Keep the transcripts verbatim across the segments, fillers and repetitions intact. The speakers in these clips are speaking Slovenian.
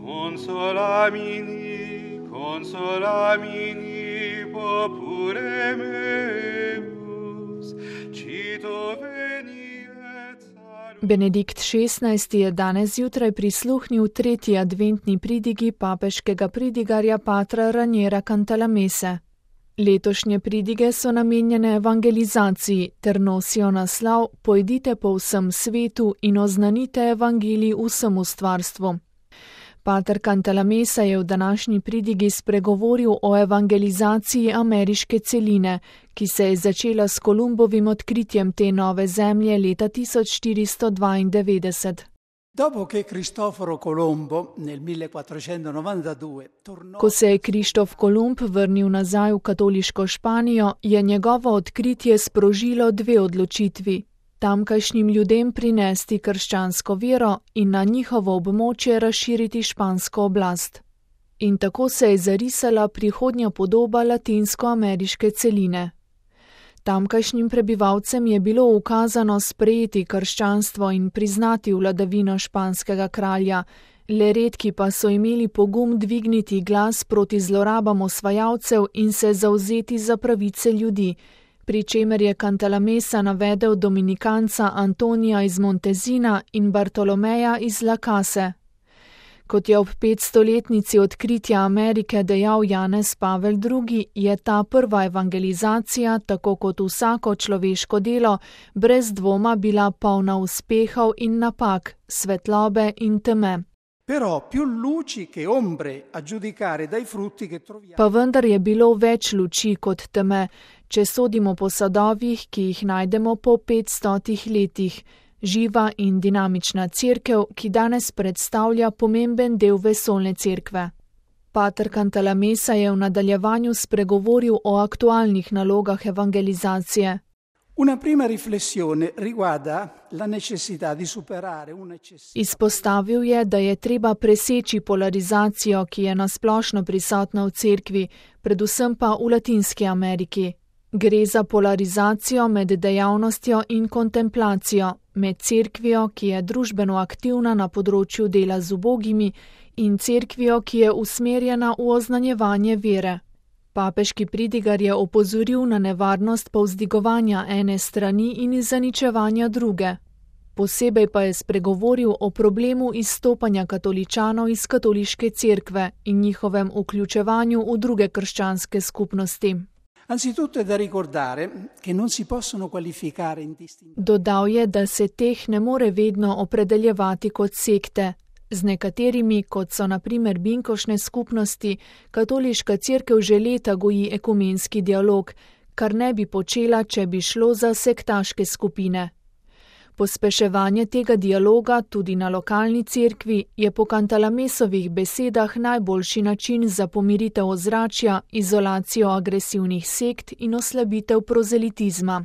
Consolamini, consolamini, popure meus, cito veni et salus. Benedikt šestnajsti je danes zjutraj prisluhnil tretji adventni pridigi papeškega pridigarja patra Raniera Cantalamesse. Letošnje pridige so namenjene evangelizaciji ter nosijo naslov Pojdite po vsem svetu in oznanite evangelij vsemu stvarstvu. Pater Cantalamessa je v današnji pridigi spregovoril o evangelizaciji ameriške celine, ki se je začela s Kolumbovim odkritjem te nove zemlje leta tisoč štiristo dvaindevetdeset. Dopo che Cristoforo Colombo nel millequattrocentonovantadue tornò... Ko se je Krištof Kolumb vrnil nazaj v katoliško Španijo, je njegovo odkritje sprožilo dve odločitvi. Tamkajšnjim ljudem prinesti krščansko vero in na njihovo območje razširiti špansko oblast. In tako se je zarisala prihodnja podoba latinsko-ameriške celine. Tamkajšnjim prebivalcem je bilo ukazano sprejeti krščanstvo in priznati vladavino španskega kralja, le redki pa so imeli pogum dvigniti glas proti zlorabam osvajalcev in se zavzeti za pravice ljudi, pri čemer je Cantalamessa navedel dominikanca Antonija iz Montezina in Bartolomeja iz La Case. Kot je ob petstoletnici odkritja Amerike dejal Janez Pavel drugi, je ta prva evangelizacija, tako kot vsako človeško delo, brez dvoma bila polna uspehov in napak, svetlobe in teme. Però più luci che ombre a giudicare dai frutti che troviamo. Pa vendar je bilo več luči kot teme, če sodimo po sadovih, ki jih najdemo po petstotih letih. Živa in dinamična cerkev, ki danes predstavlja pomemben del vesoljne cerkve. Pater Cantalamessa je v nadaljevanju spregovoril o aktualnih nalogah evangelizacije. Una prima riflessione riguarda la necessità di superare un'eccessiva. Izpostavil je, da je treba preseči polarizacijo, ki je nasplošno prisotna v cerkvi, predvsem pa v Latinski Ameriki. Gre za polarizacijo med dejavnostjo in kontemplacijo, med cerkvijo, ki je družbeno aktivna na področju dela z ubogimi, in cerkvijo, ki je usmerjena v oznanjevanje vere. Papeški pridigar je opozoril na nevarnost povzdigovanja ene strani in zaničevanja druge. Posebej pa je spregovoril o problemu izstopanja katoličanov iz katoliške cerkve in njihovem vključevanju v druge krščanske skupnosti. Anzitutto è da ricordare che non si possono qualificare indistintamente. Dodal je, da se teh ne more vedno opredeljevati kot sekte. Z nekaterimi, kot so na primer binkošne skupnosti, katoliška cerkev že leta goji ekumenski dialog, kar ne bi počela, če bi šlo za sektaške skupine. Pospeševanje tega dialoga tudi na lokalni cerkvi je po Cantalamessovih besedah najboljši način za pomiritev ozračja, izolacijo agresivnih sekt in oslabitev prozelitizma.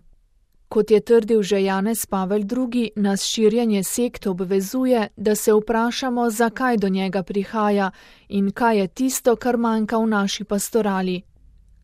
Kot je trdil že Janez Pavel drugi, nas širjenje sekt obvezuje, da se vprašamo, zakaj do njega prihaja in kaj je tisto, kar manjka v naši pastorali.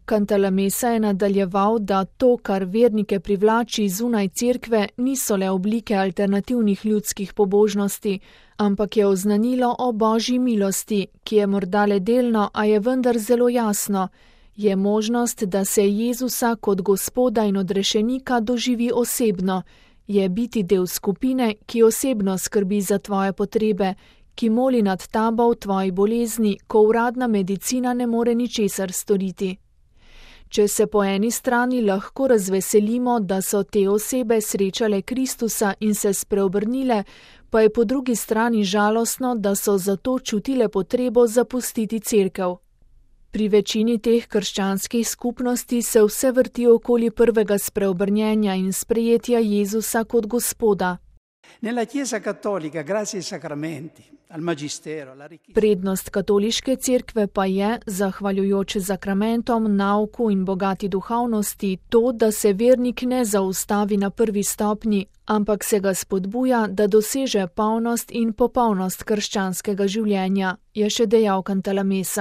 Cantalamessa je nadaljeval, da to, kar vernike privlači zunaj cerkve, niso le oblike alternativnih ljudskih pobožnosti, ampak je oznanilo o Božji milosti, ki je morda le delno, a je vendar zelo jasno. Je možnost, da se Jezusa kot Gospoda in odrešenika doživi osebno, je biti del skupine, ki osebno skrbi za tvoje potrebe, ki moli nad tabo v tvoji bolezni, ko uradna medicina ne more ničesar storiti. Če se po eni strani lahko razveselimo, da so te osebe srečale Kristusa in se spreobrnile, pa je po drugi strani žalostno, da so zato čutile potrebo zapustiti cerkev. Pri večini teh krščanskih skupnosti se vse vrti okoli prvega spreobrnjenja in sprejetja Jezusa kot Gospoda. Nella Chiesa cattolica, grazie ai sacramenti, al magistero, alla richiesta. Prednost katoliške cerkve pa je, zahvaljujoč sakramentom, nauku in bogati duhovnosti, to, da se vernik ne zaustavi na prvi stopnji, ampak se ga spodbuja, da doseže polnost in popolnost krščanskega življenja, je še dejal Cantalamessa.